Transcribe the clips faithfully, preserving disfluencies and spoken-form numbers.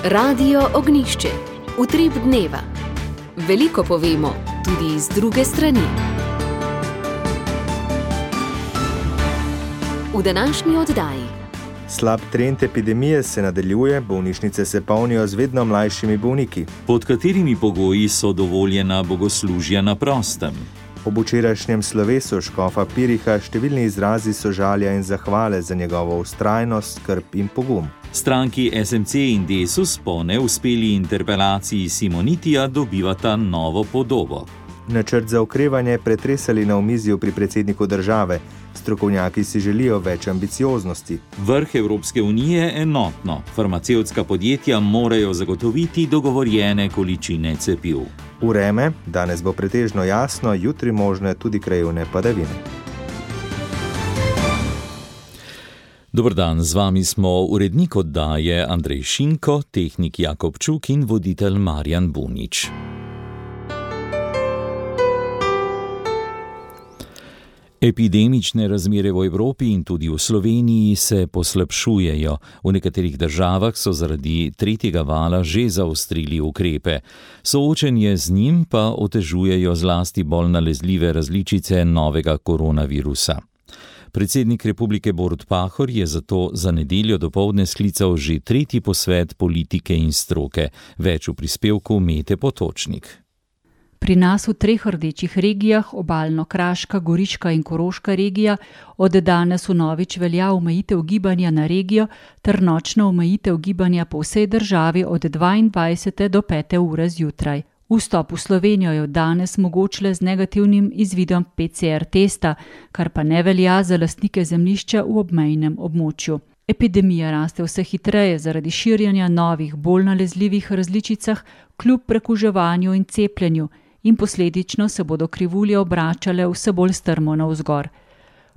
Radio Ognjišče. Utrip dneva. Veliko povemo, tudi iz druge strani. V današnji oddaji. Slab trend epidemije se nadaljuje, bolnišnice se polnijo z vedno mlajšimi bolniki. Pod katerimi pogoji so dovoljena bogoslužja na prostem? Ob včerajšnjem slovesu škofa Piriha številni izrazi sožalja in zahvale za njegovo vztrajnost, skrb in pogum. Stranki S M C in Desus po neuspeli interpelaciji Simonitija dobivata novo podobo. Načrt za okrevanje pretresali na omizju pri predsedniku države. Strokovnjaki si želijo več ambicioznosti. Vrh Evropske unije je enotno. Farmacevtska podjetja morajo zagotoviti dogovorjene količine cepiv. Vreme, danes bo pretežno jasno, jutri možne tudi krajevne padavine. Dober dan, z vami smo urednik oddaje Andrej Šinko, tehnik Jakob Čuk in voditelj Marjan Bunič. Epidemične razmere v Evropi in tudi v Sloveniji se poslabšujejo. V nekaterih državah so zaradi tretjega vala že zaostrili ukrepe. Soočenje z njim pa otežujejo zlasti bolj nalezljive različice novega koronavirusa. Predsednik Republike Borut Pahor je zato za nedeljo dopoldne sklical že tretji posvet politike in stroke. Več v prispevku Mete Potočnik. Pri nas v treh rdečih regijah, Obalno-Kraška, Goriška in Koroška regija, od danes vnovič velja omejitev gibanja na regijo ter nočna omejitev gibanja po vsej državi od dvaindvajsete do pete ure zjutraj. Vstop v Slovenijo je od danes mogoč le z negativnim izvidom P C R testa, kar pa ne velja za lastnike zemljišča v obmejnem območju. Epidemija raste vse hitreje zaradi širjenja novih, bolj nalezljivih različicah kljub prekuževanju in cepljenju, in posledično se bodo krivulje obračale vse bolj strmo navzgor.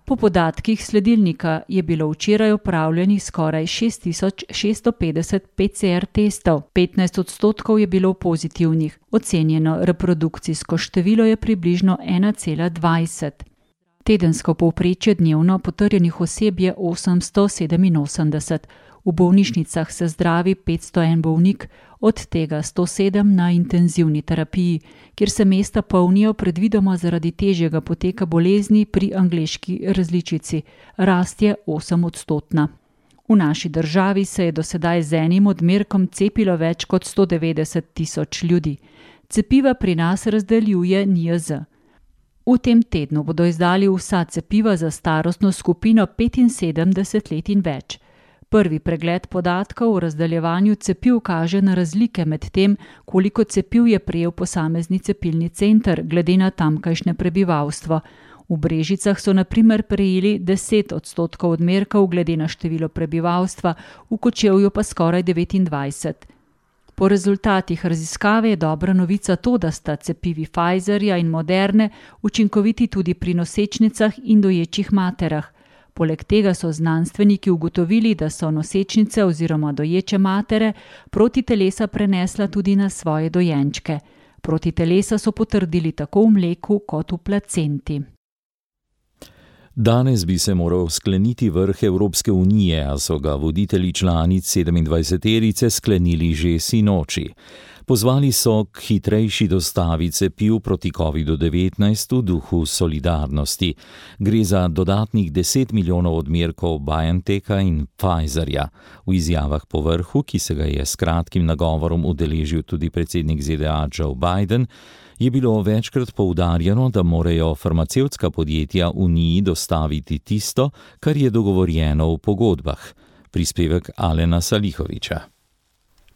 Po podatkih sledilnika je bilo včeraj opravljenih skoraj šest tisoč šeststo petdeset P C R testov, petnajst odstotkov je bilo pozitivnih, ocenjeno reprodukcijsko število je približno ena cela dvajset. Tedensko povprečje dnevno potrjenih oseb je osemsto sedeminosemdeset. V bolnišnicah se zdravi petsto en bolnik, od tega sto sedem na intenzivni terapiji, kjer se mesta polnijo predvidoma zaradi težjega poteka bolezni pri angleški različici. Rast je osem odstotna. V naši državi se je do sedaj z enim odmerkom cepilo več kot sto devetdeset tisoč ljudi. Cepiva pri nas razdeljuje N I J Z. V tem tednu bodo izdali vsa cepiva za starostno skupino petinsedemdeset let in več. Prvi pregled podatkov o razdeljevanju cepiv kaže na razlike med tem, koliko cepiv je prejel posamezni cepilni center glede na tamkajšnje prebivalstvo. V Brežicah so na primer prejeli deset odstotkov odmerkov glede na število prebivalstva, v Kočevju pa skoraj devetindvajset. Po rezultatih raziskave je dobra novica to, da sta cepivi Pfizerja in Moderne učinkoviti tudi pri nosečnicah in doječih materah. Poleg tega so znanstveniki ugotovili, da so nosečnice oziroma doječe matere protitelesa prenesla tudi na svoje dojenčke. Protitelesa so potrdili tako v mleku kot v placenti. Danes bi se moral skleniti vrh Evropske unije, a so ga voditelji članic sedemindvajseterice sklenili že sinoči. Pozvali so k hitrejši dostavi cepiv proti kovidu devetnajst v duhu solidarnosti. Gre za dodatnih deset milijonov odmerkov BioNTecha in Pfizerja. V izjavah po vrhu, ki se ga je s kratkim nagovorom udeležil tudi predsednik Z D A Joe Biden, je bilo večkrat poudarjeno, da morajo farmacevtska podjetja Uniji dostaviti tisto, kar je dogovorjeno v pogodbah. Prispevek Alena Salihoviča.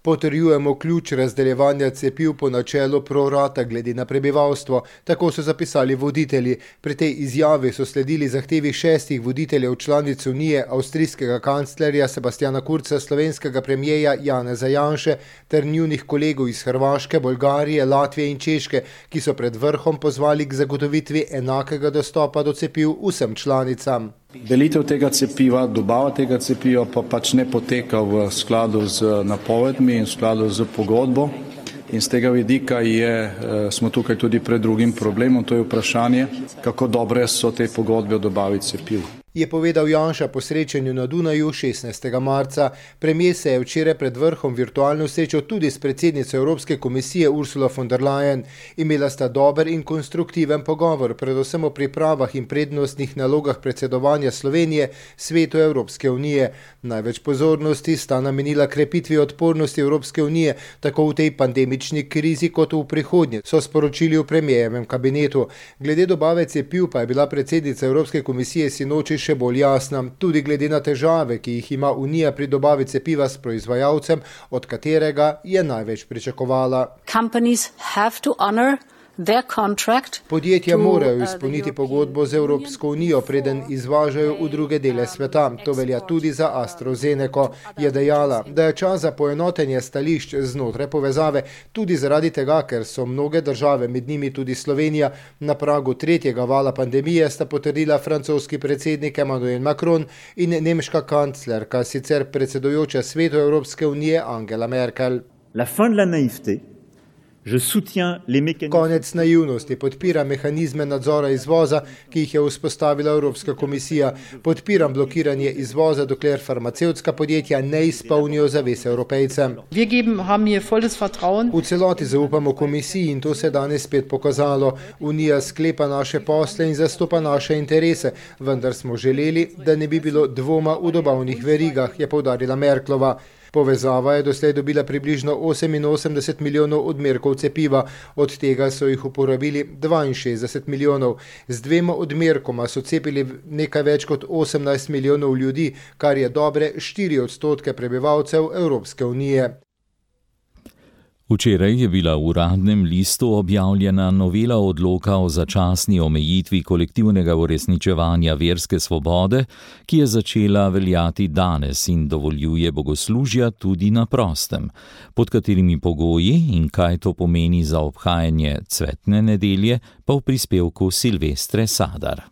Potrjujemo ključ razdeljevanja cepiv po načelu pro rata glede na prebivalstvo, tako so zapisali voditelji. Pri tej izjavi so sledili zahtevi šestih voditeljev članic Unije, avstrijskega kanclerja Sebastiana Kurza, slovenskega premijeja Janeza Janše ter njunih kolegov iz Hrvaške, Bolgarije, Latvije in Češke, ki so pred vrhom pozvali k zagotovitvi enakega dostopa do cepiv vsem članicam. Delitev tega cepiva, dobava tega cepiva pa pač ne poteka v skladu z napovedmi in v skladu z pogodbo. In z tega vidika je, smo tukaj tudi pred drugim problemom, to je vprašanje, kako dobre so te pogodbe o dobavi cepiv. je povedal Janša po srečanju na Dunaju šestnajstega marca. Premijer se je včeraj pred vrhom virtualno srečal tudi s predsednico Evropske komisije Ursula von der Leyen. Imela sta dober in konstruktiven pogovor, predvsem o pripravah in prednostnih nalogah predsedovanja Slovenije svetu Evropske unije. Največ pozornosti sta namenila krepitvi odpornosti Evropske unije, tako v tej pandemični krizi kot v prihodnje, so sporočili v premijerjevem kabinetu. Glede dobave cepiv pa je bila predsednica Evropske komisije sinoči še bolj jasna, tudi glede na težave, ki jih ima Unija pri dobavi cepiva s proizvajalcem, od katerega je največ pričakovala. Podjetja morajo izpolniti pogodbo z Evropsko unijo, preden izvažajo v druge dele sveta. To velja tudi za AstraZeneco. Je dejala, da je čas za poenotenje stališč znotraj povezave, tudi zaradi tega, ker so mnoge države, med njimi tudi Slovenija, na pragu tretjega vala pandemije, sta potrdila francoski predsednik Emmanuel Macron in nemška kanclerka, sicer predsedujoča svetu Evropske unije Angela Merkel. La fin de la naïveté. Konec naivnosti, podpira mehanizme nadzora izvoza, ki jih je vzpostavila Evropska komisija. Podpiram blokiranje izvoza, dokler farmacevtska podjetja ne izpolnijo zaveze Evropejcem. V celoti zaupamo komisiji in to se je danes spet pokazalo. Unija sklepa naše posle in zastopa naše interese, vendar smo želeli, da ne bi bilo dvoma v dobavnih verigah, je poudarila Merklova. Povezava je doslej dobila približno oseminosemdeset milijonov odmerkov cepiva, od tega so jih uporabili dvainšestdeset milijonov. Z dvema odmerkoma so cepili nekaj več kot osemnajst milijonov ljudi, kar je dobre štiri odstotke prebivalcev Evropske unije. Včeraj je bila v uradnem listu objavljena novela odloka o začasni omejitvi kolektivnega uresničevanja verske svobode, ki je začela veljati danes in dovoljuje bogoslužja tudi na prostem. Pod katerimi pogoji in kaj to pomeni za obhajanje cvetne nedelje, pa v prispevku Silvestre Sadar.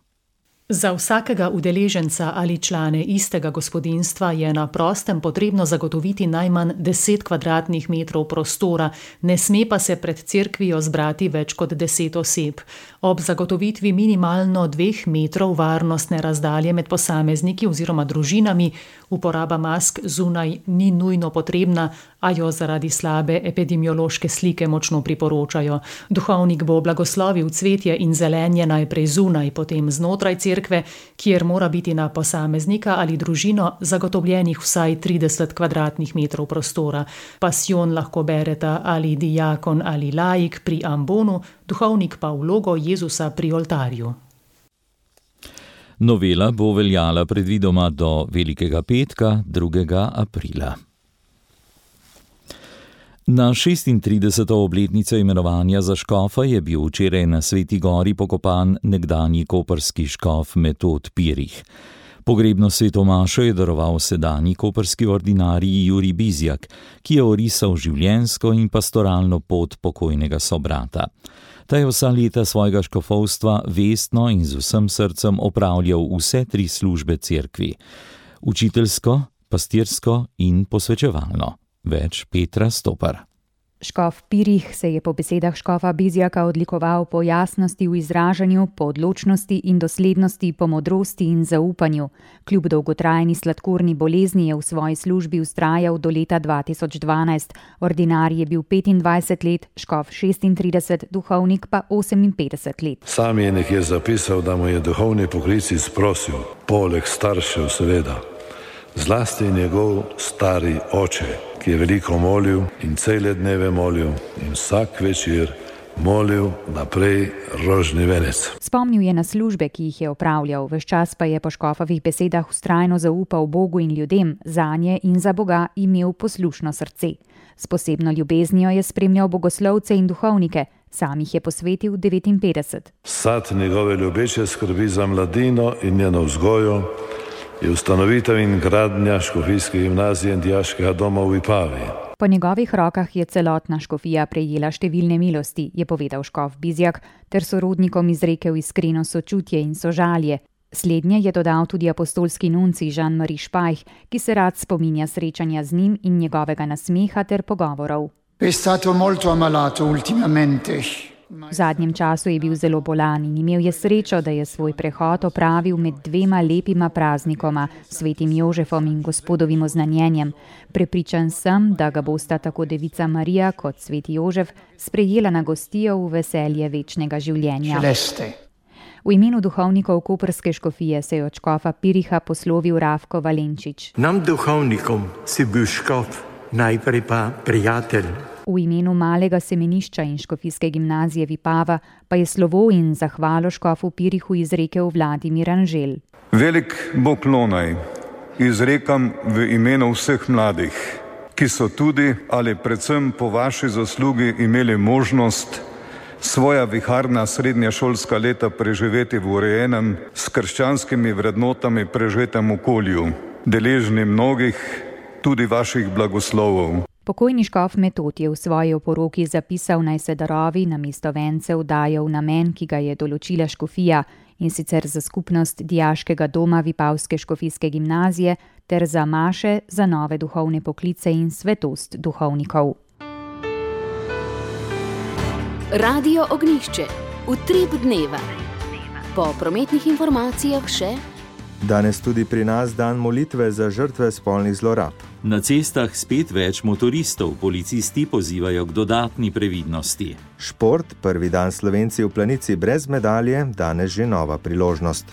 Za vsakega udeleženca ali člane istega gospodinjstva je na prostem potrebno zagotoviti najmanj deset kvadratnih metrov prostora, ne sme pa se pred cerkvijo zbrati več kot deset oseb. Ob zagotovitvi minimalno dveh metrov varnostne razdalje med posamezniki oziroma družinami, uporaba mask zunaj ni nujno potrebna, a jo zaradi slabe epidemiološke slike močno priporočajo. Duhovnik bo blagoslovil cvetje in zelenje najprej zunaj, potem znotraj cerkve, kjer mora biti na posameznika ali družino zagotovljenih vsaj trideset kvadratnih metrov prostora. Pasijon lahko bereta ali dijakon ali laik pri ambonu, duhovnik pa vlogo Jezusa pri oltarju. Novela bo veljala predvidoma do Velikega petka, drugega aprila. Na šestintrideseto obletnico imenovanja za škofa je bil včeraj na Sveti gori pokopan nekdanji koprski škof Metod Pirih. Pogrebno svetomašo je daroval sedanji koprski ordinarij Jurij Bizjak, ki je orisal življenjsko in pastoralno pot pokojnega sobrata. Ta je vsa leta svojega škofovstva vestno in z vsem srcem opravljal vse tri službe cerkvi: učiteljsko, pastirsko in posvečevalno. Več Petra Stopar. Škof Pirih se je po besedah škofa Bizjaka odlikoval po jasnosti v izražanju, po odločnosti in doslednosti, po modrosti in zaupanju. Kljub dolgotrajni sladkorni bolezni je v svoji službi vztrajal do leta dva tisoč dvanajst. Ordinarij je bil petindvajset let, škof šestintrideset, duhovnik pa oseminpetdeset let. Sam je nekje zapisal, da mu je duhovni poklic izprosil, poleg staršev seveda, zlasti njegov stari oče, ki je veliko molil in cele dneve molil in vsak večer molil naprej rožni venec. Spomnil je na službe, ki jih je opravljal, ves čas pa je po škofovih besedah vztrajno zaupal Bogu in ljudem, zanje in za Boga imel poslušno srce. S posebno ljubeznijo je spremljal bogoslovce in duhovnike, sam jih je posvetil devetinpetdeset. Sad njegove ljubeče skrbi za mladino in njeno vzgojo je ustanovitev in gradnja škofijske gimnazije in dijaškega doma v Vipavi. Po njegovih rokah je celotna škofija prejela številne milosti, je povedal škof Bizjak, ter sorodnikom izrekel iskreno sočutje in sožalje. Slednje je dodal tudi apostolski nuncij Jean-Marie Špajh, ki se rad spominja srečanja z njim in njegovega nasmeha ter pogovorov. È stato molto ammalato ultimamente. V zadnjem času je bil zelo bolan in imel je srečo, da je svoj prehod opravil med dvema lepima praznikoma, svetim Jožefom in gospodovim oznanjenjem. Prepričan sem, da ga bosta tako devica Marija kot sveti Jožef sprejela na gostijo v veselje večnega življenja. Celeste. V imenu duhovnikov koprske škofije se je od škofa Piriha poslovil Rafko Valenčič. Nam duhovnikom si bil škof, najprej pa prijatelj. V imenu malega semenišča in škofijske gimnazije Vipava pa je slovo in zahvalo škofu Pirihu izrekel Vladimir Anžel. Velik poklonaj izrekam v imenu vseh mladih, ki so tudi ali predvsem po vaši zaslugi imeli možnost svoja viharna srednješolska leta preživeti v urejenem, s krščanskimi vrednotami preživetem okolju, deležni mnogih tudi vaših blagoslovov. Pokojni škof Metod je v svoji oporoki zapisal, naj se darovi namesto vencev dajo v namen, ki ga je določila škofija, in sicer za skupnost dijaškega doma Vipavske škofijske gimnazije ter za maše, za nove duhovne poklice in svetost duhovnikov. Radio Ognjišče, utrip dneva. Po prometnih informacijah še... Danes tudi pri nas dan molitve za žrtve spolnih zlorab. Na cestah spet več motoristov, policisti pozivajo k dodatni previdnosti. Šport, prvi dan Slovenci v planici brez medalje, danes že nova priložnost.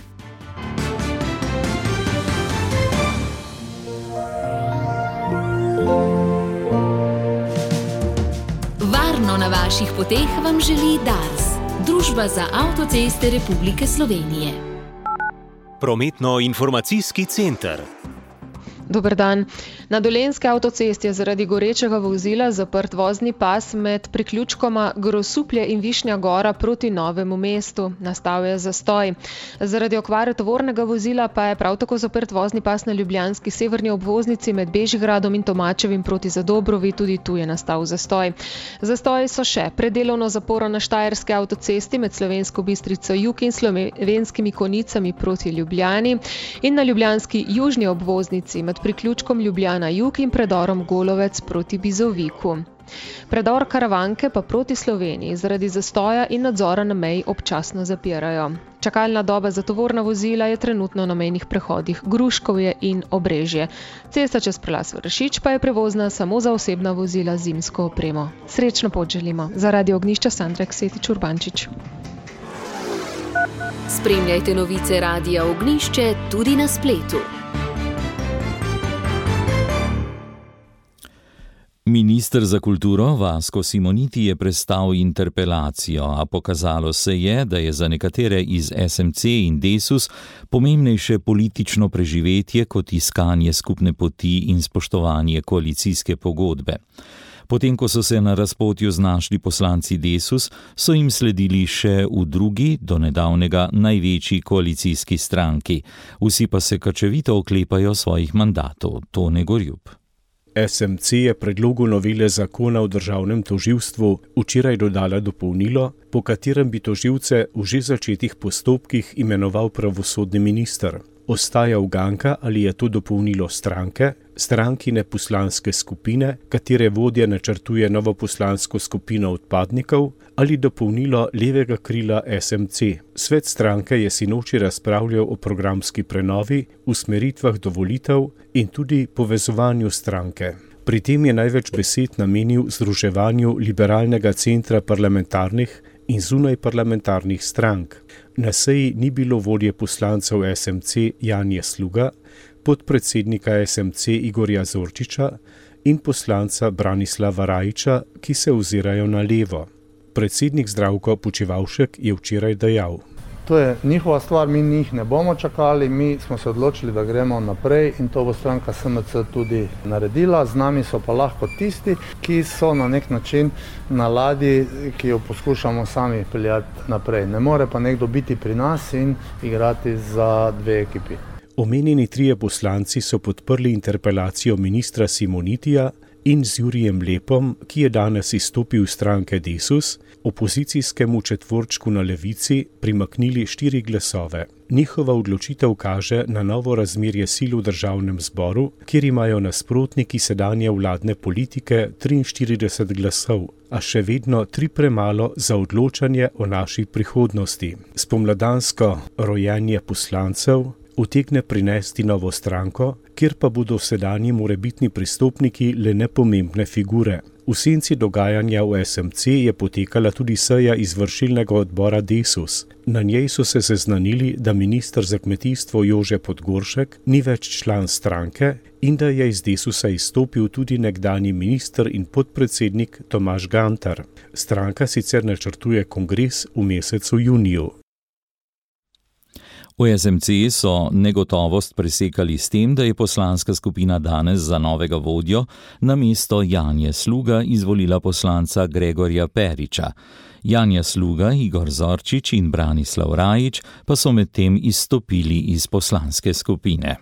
Varno na vaših poteh vam želi Dars, Družba za avtoceste Republike Slovenije. Prometno-informacijski center. Dober dan. Na Dolenjski avtocesti je zaradi gorečega vozila zaprt vozni pas med priključkoma Grosuplje in Višnja Gora proti Novemu mestu. Nastal je zastoj. Zaradi okvare tovornega vozila pa je prav tako zaprt vozni pas na ljubljanski severni obvoznici med Bežigradom in Tomačevim proti Zadobrovi, tudi tu je nastal zastoj. Zastoji so še predelovno zaporo na Štajerski avtocesti med Slovensko Bistrico jug in Slovenskimi Konicami proti Ljubljani in na ljubljanski južni obvoznici med priključkom Ljubljana jug in predorom Golovec proti Bizoviku. Predor Karavanke pa proti Sloveniji zaradi zastoja in nadzora na meji občasno zapirajo. Čakalna doba za tovorna vozila je trenutno na mejnih prehodih Gruškovje in Obrežje. Cesta čez prelaz Vršič pa je prevozna samo za osebna vozila z zimsko opremo. Srečno pot želimo. Za Radio Ognjišče Sandra Ksetič Urbančič. Spremljajte novice Radia Ognjišče tudi na spletu. Minister za kulturo Vasko Simoniti je prestal interpelacijo, a pokazalo se je, da je za nekatere iz es em ce in Desus pomembnejše politično preživetje kot iskanje skupne poti in spoštovanje koalicijske pogodbe. Potem, ko so se na razpotju znašli poslanci Desus, so jim sledili še v drugi, do nedavnega največji koalicijski stranki. Vsi pa se krčevito oklepajo svojih mandatov. Tone Gorjup. es em ce je predlogu novele zakona o državnem tožilstvu včeraj dodala dopolnilo, po katerem bi tožilce v že začetih postopkih imenoval pravosodni minister. Ostaja uganka, ali je to dopolnilo stranke, strankine poslanske skupine, katere vodja načrtuje novo poslansko skupino odpadnikov, ali dopolnilo levega krila es em ce. Svet stranke je sinoči razpravljal o programski prenovi, usmeritvah do volitev in tudi povezovanju stranke. Pri tem je največ besed namenil združevanju liberalnega centra parlamentarnih in zunaj parlamentarnih strank. Na seji ni bilo vodje poslancev es em ce Janje Sluga, podpredsednika es em ce Igorja Zorčiča in poslanca Branislava Rajiča, ki se ozirajo na levo. Predsednik Zdravko Počivalšek je včeraj dejal: To je njihova stvar, mi njih ne bomo čakali, mi smo se odločili, da gremo naprej in to bo stranka es em ce tudi naredila. Z nami so pa lahko tisti, ki so na nek način na ladji, ki jo poskušamo sami peljati naprej. Ne more pa nekdo biti pri nas in igrati za dve ekipi. Omenjeni trije poslanci so podprli interpelacijo ministra Simonitija in z Jurijem Lepom, ki je danes izstopil iz stranke Desus, opozicijskemu četvorčku na levici primaknili štiri glasove. Njihova odločitev kaže na novo razmerje sil v državnem zboru, kjer imajo nasprotniki sedanje vladne politike triinštirideset glasov, a še vedno tri premalo za odločanje o naši prihodnosti. Spomladansko rojenje poslancev utegne prinesti novo stranko, kjer pa bodo sedanji morebitni pristopniki le nepomembne figure. V senci dogajanja v S M C je potekala tudi seja izvršilnega odbora Desus. Na njej so se seznanili, da minister za kmetijstvo Jože Podgoršek ni več član stranke in da je iz Desusa izstopil tudi nekdanji minister in podpredsednik Tomaž Gantar. Stranka sicer načrtuje kongres v mesecu juniju. V S M C so negotovost presekali s tem, da je poslanska skupina danes za novega vodjo na mesto Janje Sluga izvolila poslanca Gregorja Periča. Janja Sluga, Igor Zorčič in Branislav Rajič pa so medtem izstopili iz poslanske skupine.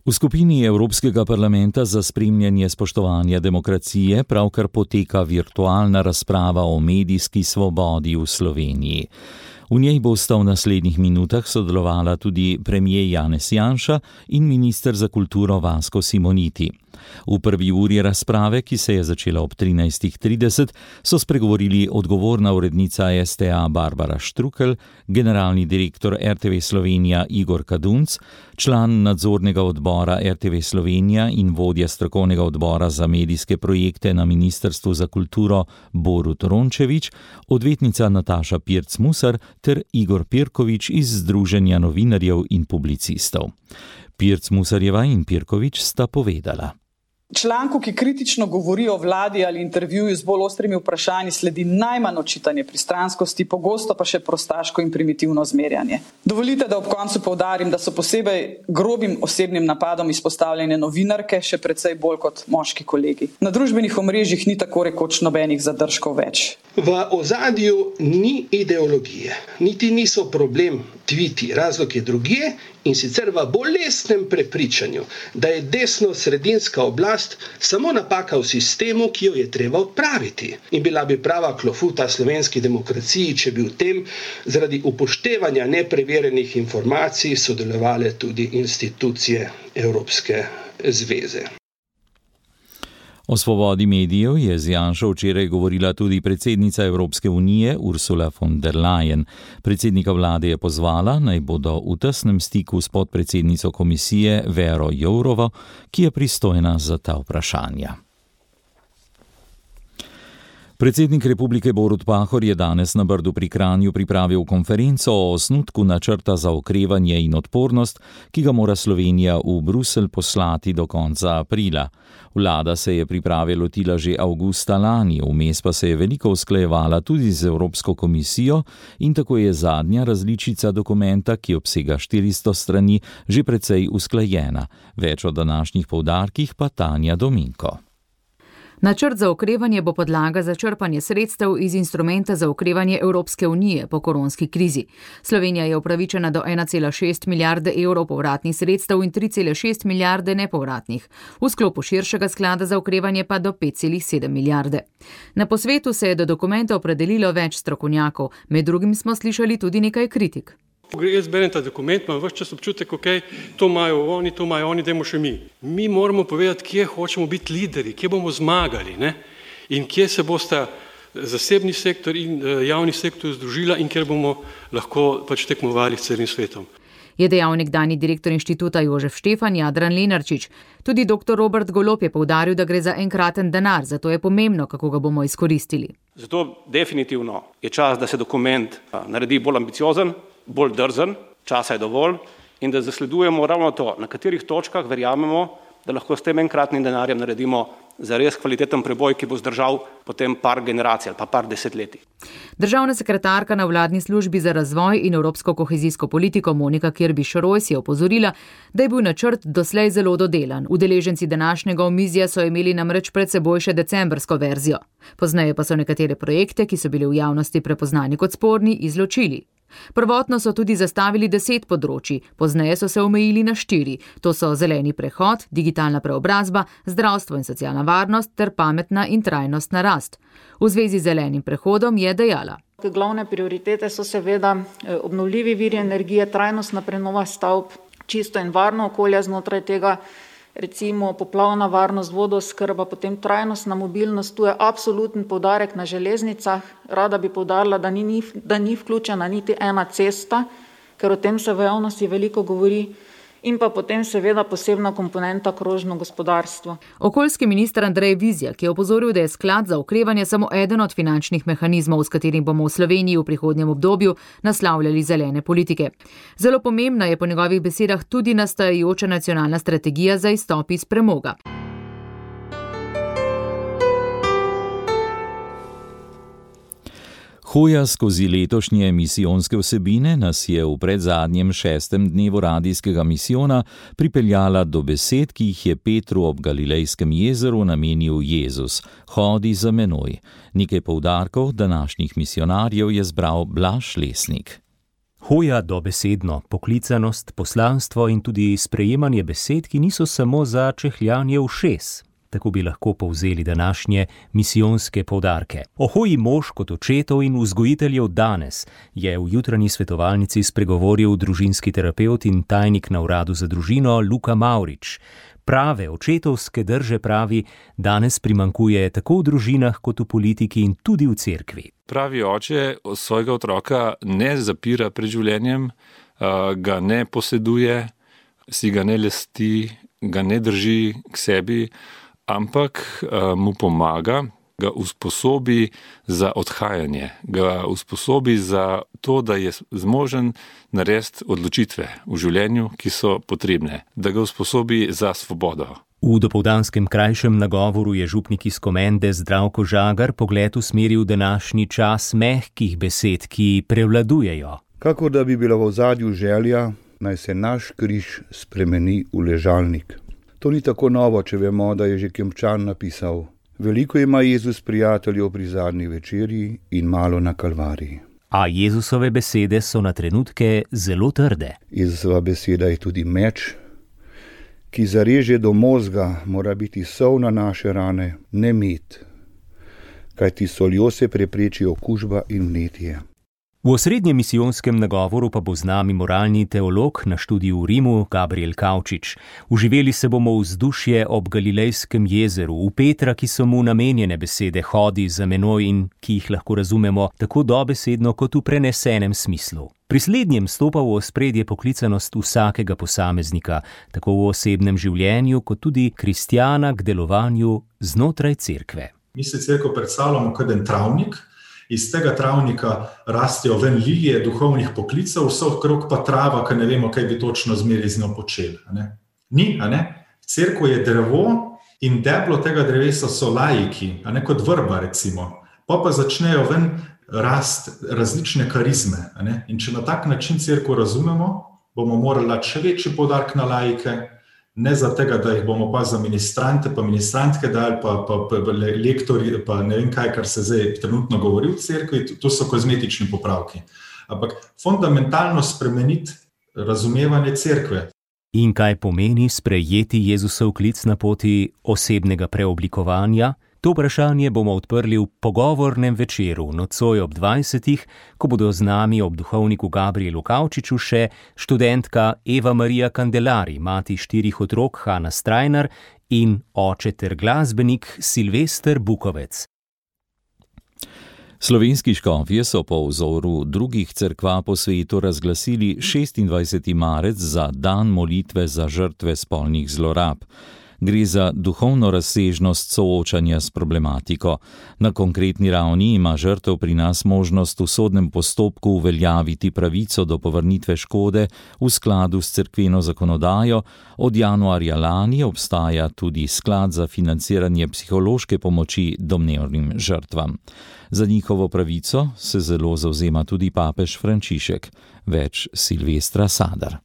V skupini Evropskega parlamenta za spremljanje spoštovanja demokracije pravkar poteka virtualna razprava o medijski svobodi v Sloveniji. V njej bosta v naslednjih minutah sodelovala tudi premier Janez Janša in minister za kulturo Vasko Simoniti. V prvi uri razprave, ki se je začela ob trinajstih trideset, so spregovorili odgovorna urednica S T A Barbara Štrukelj, generalni direktor R T V Slovenija Igor Kadunc, član nadzornega odbora R T V Slovenija in vodja strokovnega odbora za medijske projekte na Ministrstvu za kulturo Borut Rončević, odvetnica Nataša Pirc-Musar ter Igor Pirković iz Združenja novinarjev in publicistov. Pirc-Musarjeva in Pirković sta povedala. Članku, ki kritično govori o vladi ali intervjuju z bolj ostrimi vprašanji, sledi najmanj očitanje pristranskosti, pogosto pa še prostaško in primitivno zmerjanje. Dovolite, da ob koncu poudarim, da so posebej grobim osebnim napadom izpostavljene novinarke, še precej bolj kot moški kolegi. Na družbenih omrežjih ni tako rekoč nobenih zadržkov več. V ozadju ni ideologije, niti niso problem tviti, razlog je drugje in sicer v bolestnem prepričanju, da je desno-sredinska oblast samo napaka v sistemu, ki jo je treba odpraviti. In bila bi prava klofuta slovenski demokraciji, če bi v tem zaradi upoštevanja nepreverjenih informacij sodelovale tudi institucije Evropske zveze. O svobodi medijev je z Janšo včeraj govorila tudi predsednica Evropske unije Ursula von der Leyen. Predsednika vlade je pozvala, naj bodo v tesnem stiku s podpredsednico komisije Vero Jourovo, ki je pristojna za ta vprašanja. Predsednik republike Borut Pahor je danes na Brdu pri Kranju pripravil konferenco o osnutku načrta za okrevanje in odpornost, ki ga mora Slovenija v Bruselj poslati do konca aprila. Vlada se je priprave lotila že avgusta lani, vmes pa se je veliko usklajevala tudi z Evropsko komisijo in tako je zadnja različica dokumenta, ki obsega štiristo strani, že precej usklajena. Več o današnjih poudarkih pa Tanja Dominko. Načrt za okrevanje bo podlaga za črpanje sredstev iz instrumenta za okrevanje Evropske unije po koronski krizi. Slovenija je upravičena do ena cela šest milijarde evrov povratnih sredstev in tri cele šest milijarde nepovratnih. V sklopu širšega sklada za okrevanje pa do pet cela sedem milijarde. Na posvetu se je do dokumenta opredelilo več strokovnjakov, med drugim smo slišali tudi nekaj kritik. Ko jaz berem ta dokument, imam ves čas občutek, ok, to imajo oni, to imajo oni, dajmo še mi. Mi moramo povedati, kje hočemo biti lideri, kje bomo zmagali, ne? In kje se bosta zasebni sektor in javni sektor združila in kjer bomo lahko pač tekmovali s celim svetom. Je dejal nekdanji direktor inštituta Jožef Štefan Jadran Lenarčič. Tudi doktor Robert Golob je poudaril, da gre za enkraten denar, zato je pomembno, kako ga bomo izkoristili. Zato definitivno je čas, da se dokument naredi bolj ambiciozen, bolj drzen, časa je dovolj in da zasledujemo ravno to, na katerih točkah verjamemo, da lahko s tem enkratnim denarjem naredimo za res kvaliteten preboj, ki bo zdržal potem par generacij ali pa par desetletij. Državna sekretarka na vladni službi za razvoj in evropsko kohezijsko politiko Monika Kirby-Šrojs je opozorila, da je bil načrt doslej zelo dodelan. Udeleženci današnjega omizja so imeli namreč pred seboj še decembrsko verzijo. Pozneje pa so nekatere projekte, ki so bili v javnosti prepoznani kot sporni, izločili. Prvotno so tudi zastavili deset področij, pozneje so se omejili na štiri. To so zeleni prehod, digitalna preobrazba, zdravstvo in socialna varnost ter pametna in trajnostna rast. V zvezi z zelenim prehodom je dejala: Glavne prioritete so seveda obnovljivi viri energije, trajnostna prenova stavb, čisto in varno okolje znotraj tega, recimo poplavna varnost, vodooskrba, potem trajnostna mobilnost, tu je absoluten poudarek na železnicah. Rada bi poudarila, da ni, da ni vključena niti ena cesta, ker o tem se v javnosti veliko govori. In pa potem seveda posebna komponenta krožno gospodarstvo. Okoljski minister Andrej Vizjak je opozoril, da je sklad za okrevanje samo eden od finančnih mehanizmov, s katerim bomo v Sloveniji v prihodnjem obdobju naslavljali zelene politike. Zelo pomembna je po njegovih besedah tudi nastajajoča nacionalna strategija za izstop iz premoga. Hoja skozi letošnje misijonske vsebine nas je v predzadnjem šestem dnevu radijskega misijona pripeljala do besed, ki jih je Petru ob Galilejskem jezeru namenil Jezus: Hodi za menoj. Nekaj poudarkov današnjih misionarjev je zbral Blaž Lesnik. Hoja dobesedno, poklicanost, poslanstvo in tudi sprejemanje besed, ki niso samo za čehljanje ušes. Tako bi lahko povzeli današnje misijonske poudarke. O hoji mož kot očetov in vzgojiteljev danes je v jutranji svetovalnici spregovoril družinski terapevt in tajnik na uradu za družino Luka Mavrič. Prave očetovske drže, pravi, danes primankuje tako v družinah kot v politiki in tudi v cerkvi. Pravi oče svojega otroka ne zapira pred življenjem, ga ne poseduje, si ga ne lesti, ga ne drži k sebi, ampak uh, mu pomaga, ga usposobi za odhajanje, ga usposobi za to, da je zmožen narediti odločitve v življenju, ki so potrebne, da ga usposobi za svobodo. V dopoldanskem krajšem nagovoru je župnik iz Komende Zdravko Žagar pogled usmeril današnji čas mehkih besed, ki prevladujejo. Kakor da bi bila v ozadju želja, naj se naš križ spremeni v ležalnik. To ni tako novo, če vemo, da je že Kempčan napisal: Veliko ima Jezus prijateljev pri zadnji večerji in malo na Kalvariji. A Jezusove besede so na trenutke zelo trde. Jezusova beseda je tudi meč, ki zareže do mozga, mora biti sol na naše rane, ne med, kajti soljo se prepreči okužba in vnetje. V osrednjem misijonskem nagovoru pa bo z nami moralni teolog na študiju v Rimu Gabriel Kavčič. Uživeli se bomo v vzdušje ob Galilejskem jezeru, v Petra, ki so mu namenjene besede hodi za menoj in ki jih lahko razumemo tako dobesedno kot v prenesenem smislu. Pri slednjem stopa v ospredje poklicanost vsakega posameznika, tako v osebnem življenju kot tudi kristjana k delovanju znotraj cerkve. Mi se cerkev predstavljamo kot en travnik. Iz tega travnika rastejo ven lilije duhovnih poklicev, vse okrog pa trava, ki ne vemo, kaj bi točno zmeraj z njo počeli. A ne? Ni, a ne? Cerkev je drevo in deblo tega drevesa so laiki, a ne kot vrba recimo. Pa pa začnejo ven rast različne karizme. A ne? In če na tak način cerkev razumemo, bomo morali dati še večji poudarek na laike, ne za tega, da jih bomo pa za ministrante, pa ministrantke dali, pa, pa, pa lektori, pa ne vem kaj, kar se zdaj trenutno govori v cerkvi, to so kozmetični popravki. Ampak fundamentalno spremeniti razumevanje cerkve. In kaj pomeni sprejeti Jezusov klic na poti osebnega preoblikovanja? To vprašanje bomo odprli v pogovornem večeru nocoj ob dvajsetih, ko bodo z nami ob duhovniku Gabrielu Kavčiču še študentka Eva Marija Kandelari, mati štirih otrok Hanna Strajnar in oče ter glasbenik Silvester Bukovec. Slovenski škofje so po vzoru drugih cerkva po svetu razglasili šestindvajseti marec za dan molitve za žrtve spolnih zlorab. Gre za duhovno razsežnost soočanja s problematiko. Na konkretni ravni ima žrtev pri nas možnost v sodnem postopku uveljaviti pravico do povrnitve škode v skladu s cerkveno zakonodajo. Od januarja lani obstaja tudi sklad za financiranje psihološke pomoči domnevnim žrtvam. Za njihovo pravico se zelo zavzema tudi papež Frančišek. Več Silvestra Sadar.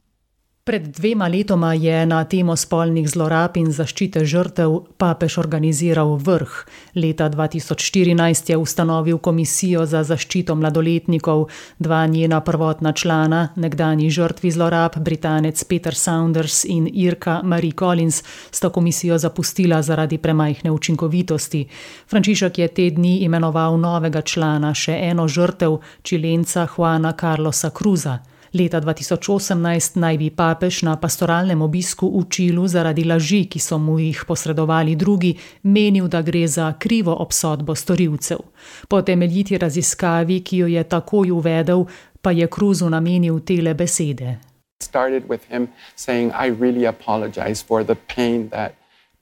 Pred dvema letoma je na temo spolnih zlorab in zaščite žrtev papež organiziral vrh. Leta dva tisoč štirinajst je ustanovil komisijo za zaščito mladoletnikov. Dva njena prvotna člana, nekdanji žrtvi zlorab, Britanec Peter Saunders in Irka Marie Collins, sta komisijo zapustila zaradi premajhne učinkovitosti. Frančišek je te dni imenoval novega člana, še eno žrtev, Čilenca Juana Carlosa Cruza. Leta dva tisoč osemnajst naj bi papež na pastoralnem obisku v Čilu zaradi laži, ki so mu jih posredovali drugi, menil, da gre za krivo obsodbo storilcev. Po temeljiti raziskavi, ki jo je takoj uvedel, pa je Cruzu namenil tele besede.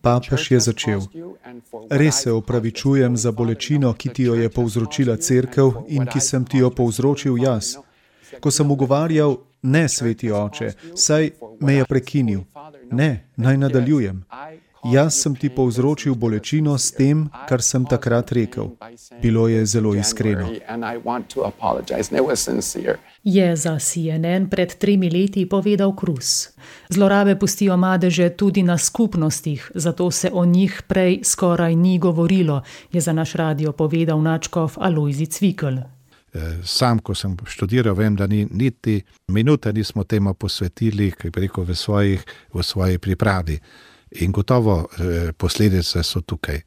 Papež je začel: Res se opravičujem za bolečino, ki ti jo je povzročila cerkev in ki sem ti jo povzročil jaz. Ko sem ugovarjal, ne, sveti oče, saj me je prekinil. Ne, naj nadaljujem. Jaz sem ti povzročil bolečino s tem, kar sem takrat rekel. Bilo je zelo iskreno. Je za C N N pred tremi leti povedal Cruz. Zlorabe pustijo madeže tudi na skupnostih, zato se o njih prej skoraj ni govorilo, je za naš radio povedal nadškof Alojzij Cvikl. Sam, ko sem študiral, vem, da ni niti minute nismo temu posvetili, kaj bi rekel, v, svojih, v svoji pripravi. In gotovo eh, posledice so tukaj.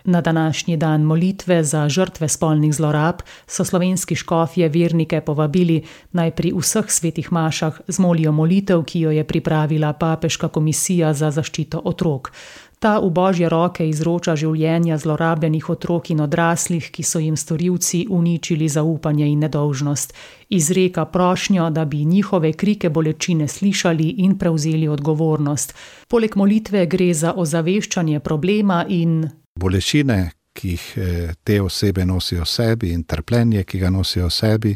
Na današnji dan molitve za žrtve spolnih zlorab so slovenski škofje vernike povabili, naj pri vseh svetih mašah zmolijo molitev, ki jo je pripravila papeška komisija za zaščito otrok. Ta v božje roke izroča življenja zlorabljenih otrok in odraslih, ki so jim storilci uničili zaupanje in nedolžnost. Izreka prošnjo, da bi njihove krike bolečine slišali in prevzeli odgovornost. Poleg molitve gre za ozaveščanje problema in bolečine, ki jih te osebe nosijo v sebi, in trpljenje, ki ga nosijo v sebi.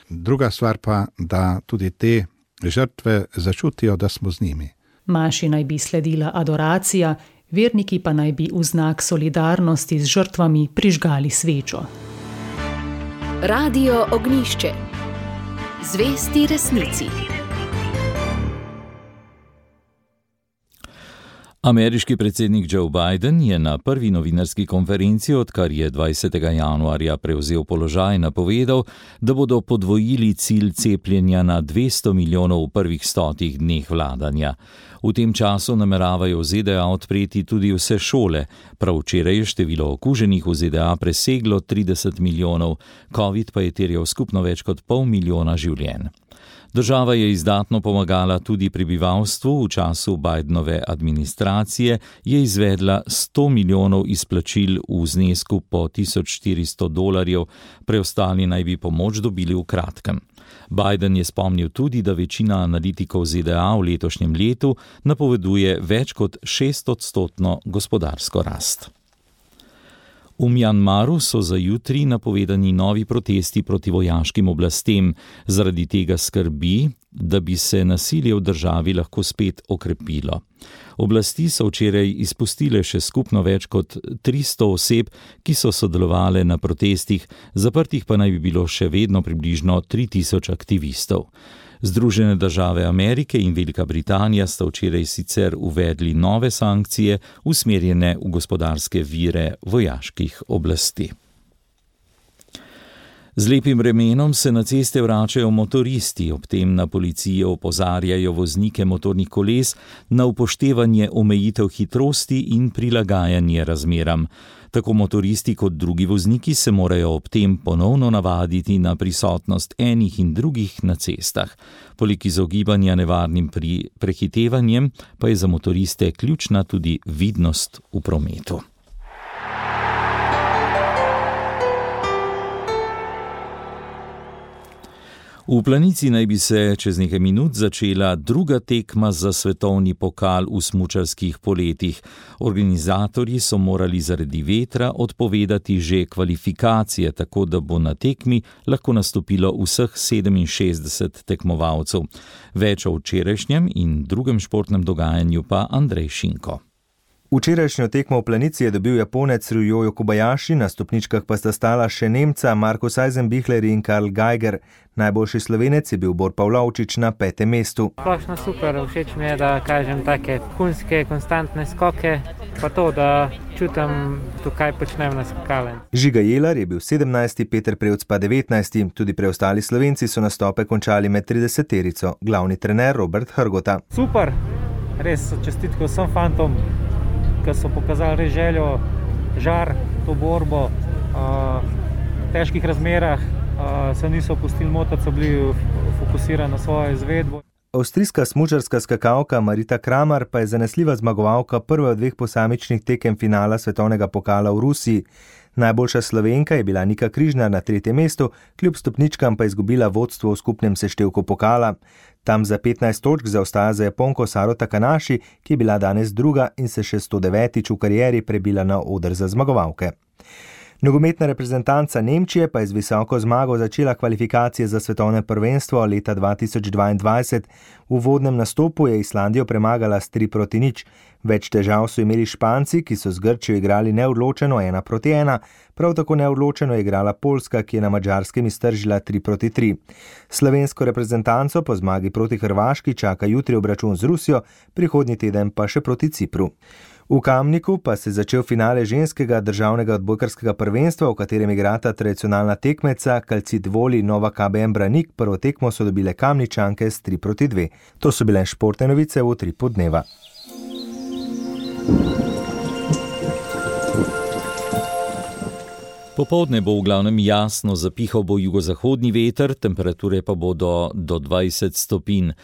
Druga stvar pa, da tudi te žrtve začutijo, da smo z njimi. Maši naj bi sledila adoracija, verniki pa naj bi v znak solidarnosti z žrtvami prižgali svečo. Radio Ognjišče. Zvesti resnici. Ameriški predsednik Joe Biden je na prvi novinarski konferenci, odkar je dvajsetega januarja prevzel položaj, napovedal, da bodo podvojili cilj cepljenja na dvesto milijonov v prvih stotih dneh vladanja. V tem času nameravajo v Z D A odpreti tudi vse šole. Prav včeraj je število okuženih v Z D A preseglo trideset milijonov, COVID pa je terjal skupno več kot pol milijona življenj. Država je izdatno pomagala tudi prebivalstvu. V času Bidenove administracije je izvedla sto milijonov izplačil v znesku po tisoč štiristo dolarjev, preostali naj bi pomoč dobili v kratkem. Biden je spomnil tudi, da večina analitikov Z D A v letošnjem letu napoveduje več kot šestodstotno gospodarsko rast. V Mjanmaru so za jutri napovedani novi protesti proti vojaškim oblastem. Zaradi tega skrbi, da bi se nasilje v državi lahko spet okrepilo. Oblasti so včeraj izpustile še skupno več kot tristo oseb, ki so sodelovale na protestih, zaprtih pa naj bi bilo še vedno približno tri tisoč aktivistov. Združene države Amerike in Velika Britanija sta včeraj sicer uvedli nove sankcije, usmerjene v gospodarske vire vojaških oblasti. Z lepim vremenom se na ceste vračajo motoristi, ob tem na policijo opozarjajo voznike motornih koles na upoštevanje omejitev hitrosti in prilagajanje razmeram. Tako motoristi kot drugi vozniki se morajo ob tem ponovno navaditi na prisotnost enih in drugih na cestah. Poleg izogibanja nevarnim pri prehitevanjem pa je za motoriste ključna tudi vidnost v prometu. V Planici naj bi se čez nekaj minut začela druga tekma za svetovni pokal v smučarskih poletih. Organizatorji so morali zaradi vetra odpovedati že kvalifikacije, tako da bo na tekmi lahko nastopilo vseh sedeminšestdeset tekmovalcev. Več o včerajšnjem in drugem športnem dogajanju pa Andrej Šinko. Včerajšnjo tekmo v Planici je dobil Japonec Ryoyo Kobayashi, na stopničkah pa sta stala še Nemca Markus Eisenbichler in Karl Geiger. Najboljši Slovenec je bil Bor Pavlovčič na petem mestu. Splošno super, všeč mi je, da kažem take kunske, konstantne skoke, pa to, da čutim to, kaj počnem na skakalem. Žiga Jelar je bil sedemnajsti, Peter Prevc pa devetnajsti. Tudi preostali Slovenci so nastope končali med trideseterico. Glavni trener Robert Hrgota. Super, res čestitke vsem fantom, ki so pokazali res željo, žar, to borbo. V težkih razmerah se niso pustili motati, so bili fokusirani na svojo izvedbo. Avstrijska smučarska skakalka Marita Kramer pa je zanesljiva zmagovalka prve od dveh posamičnih tekem finala svetovnega pokala v Rusiji. Najboljša Slovenka je bila Nika Križnar na tretjem mestu, kljub stopničkam pa izgubila vodstvo v skupnem seštevku pokala. Tam za petnajst točk zaostaja za Japonko Saro Takanashi, ki je bila danes druga in se še sto devetič v karieri prebila na oder za zmagovalke. Nogometna reprezentanca Nemčije pa je z visoko zmago začela kvalifikacije za svetovno prvenstvo leta dva tisoč dvaindvajset. V uvodnem nastopu je Islandijo premagala s tri proti nič. Več težav so imeli Španci, ki so z Grčijo igrali neodločeno ena proti ena. Prav tako neodločeno je igrala Poljska, ki je na Madžarskem iztržila tri proti tri. Slovensko reprezentanco po zmagi proti Hrvaški čaka jutri obračun z Rusijo, prihodnji teden pa še proti Cipru. V Kamniku pa se je začel finale ženskega državnega odbojkarskega prvenstva, v katerem igrata tradicionalna tekmeca Calcit Voli Nova K B M Branik. Prvo tekmo so dobile Kamničanke s tri proti dve. To so bile športne novice v utripu dneva. Popoldne bo v glavnem jasno, zapihal bo jugozahodni veter, temperature pa bodo do dvajset stopinj.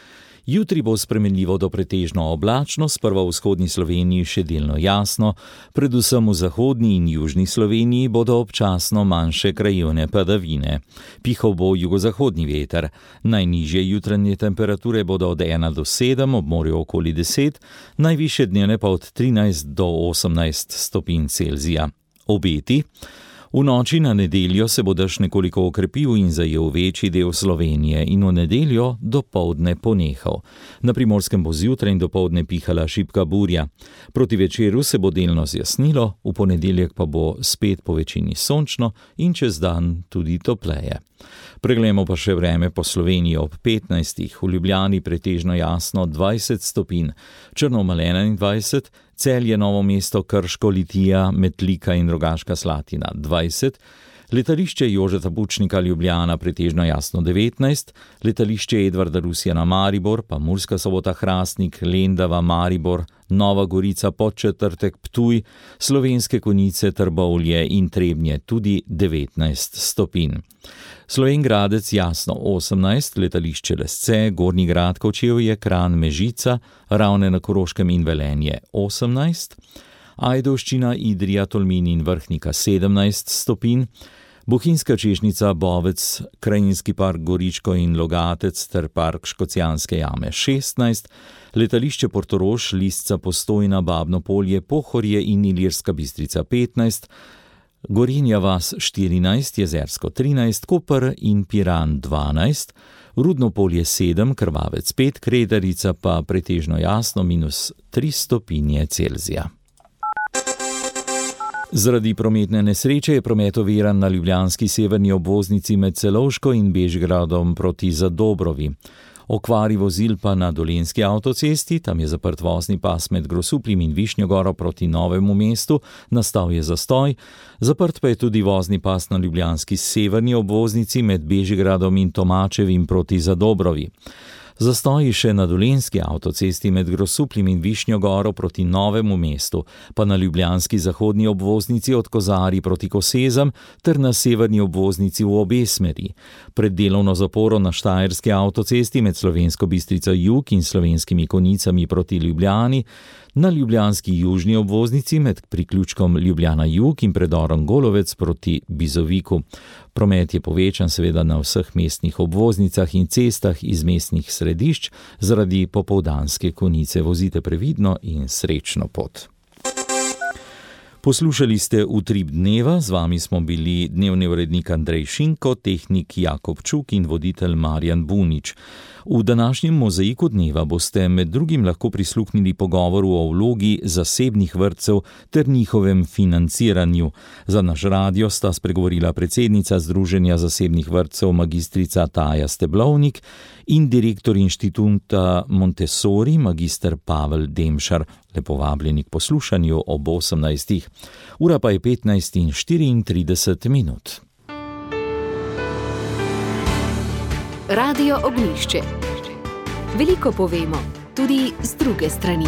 Jutri bo spremenljivo do pretežno oblačno, sprva v vzhodni Sloveniji še delno jasno, predvsem v zahodni in južni Sloveniji bodo občasno manjše krajevne padavine. Pihal bo jugozahodni veter. Najnižje jutranje temperature bodo od ena do sedem, ob morju okoli deset, najvišje dnevne pa od trinajst do osemnajst stopinj Celzija. Obeti. V noči na nedeljo se bo dež nekoliko okrepil in zajel večji del Slovenije in v nedeljo dopoldne ponehal. Na Primorskem bo zjutraj in dopoldne pihala šibka burja. Proti večeru se bo delno zjasnilo, v ponedeljek pa bo spet po večini sončno in čez dan tudi topleje. Preglejmo pa še vreme po Sloveniji ob petnajstih, v Ljubljani pretežno jasno dvajset stopinj, Črnomelj enaindvajset, Celje, Novo mesto, Krško, Litija, Metlika in Rogaška Slatina dvajset, letališče Jožeta Pučnika Ljubljana pretežno jasno devetnajst, letališče Edvarda Rusjana Maribor, pa Murska Sobota Hrastnik, Lendava, Maribor, Nova Gorica, Podčetrtek, Ptuj, Slovenske Konjice, Trbovlje in Trebnje tudi devetnajst stopinj. Slovenj Gradec jasno osemnajst, letališče Lesce, Gornji Grad, Kočevje, Kranj, Mežica, Ravne na Koroškem in Velenje osemnajst, Ajdovščina, Idrija, Tolmin in Vrhnika sedemnajst stopinj, Bohinjska Češnjica, Bovec, Krajinski park Goričko in Logatec ter park Škocjanske jame šestnajst, letališče Portorož, Lisca, Postojna, Babno Polje, Pohorje in Ilirska Bistrica petnajst, Gorenja vas štirinajst, Jezersko trinajst, Koper in Piran dvanajst, Rudno Polje sedem, Krvavec pet, Kredarica pa pretežno jasno minus tri stopinje Celzija. Zaradi prometne nesreče je promet oviran na ljubljanski severni obvoznici med Celovško in Bežigradom proti Zadobrovi. Okvari vozil pa na Dolenjski avtocesti, tam je zaprt vozni pas med Grosuplim in Višnjo Goro proti Novemu mestu, nastal je zastoj, zaprt pa je tudi vozni pas na ljubljanski severni obvoznici med Bežigradom in Tomačevim proti Zadobrovi. Zastoji še na Dolenjski avtocesti med Grosuplim in Višnjo Goro proti Novemu mestu, pa na ljubljanski zahodni obvoznici od Kozarij proti Kosezam ter na severni obvoznici v obe smeri. Pred delovno zaporo na Štajerski avtocesti med Slovensko Bistrico jug in Slovenskimi Konjicami proti Ljubljani Na ljubljanski južni obvoznici med priključkom Ljubljana Jug in predorom Golovec proti Bizoviku. Promet je povečan seveda na vseh mestnih obvoznicah in cestah iz mestnih središč zaradi popoldanske konice. Vozite previdno in srečno pot. Poslušali ste Utrip dneva, z vami smo bili dnevni urednik Andrej Šinko, tehnik Jakob Čuk in voditelj Marjan Bunič. V današnjem mozaiku dneva boste med drugim lahko prisluhnili pogovoru o vlogi zasebnih vrtcev ter njihovem financiranju. Za naš radio sta spregovorila predsednica Združenja zasebnih vrtcev magistrica Taja Steblovnik in direktor inštituta Montessori magister Pavel Demšar. Lepo vabljeni k poslušanju ob osemnajstih. Ura pa je petnajst in štiriintrideset minut. Radio Ognjišče. Veliko povemo, tudi z druge strani.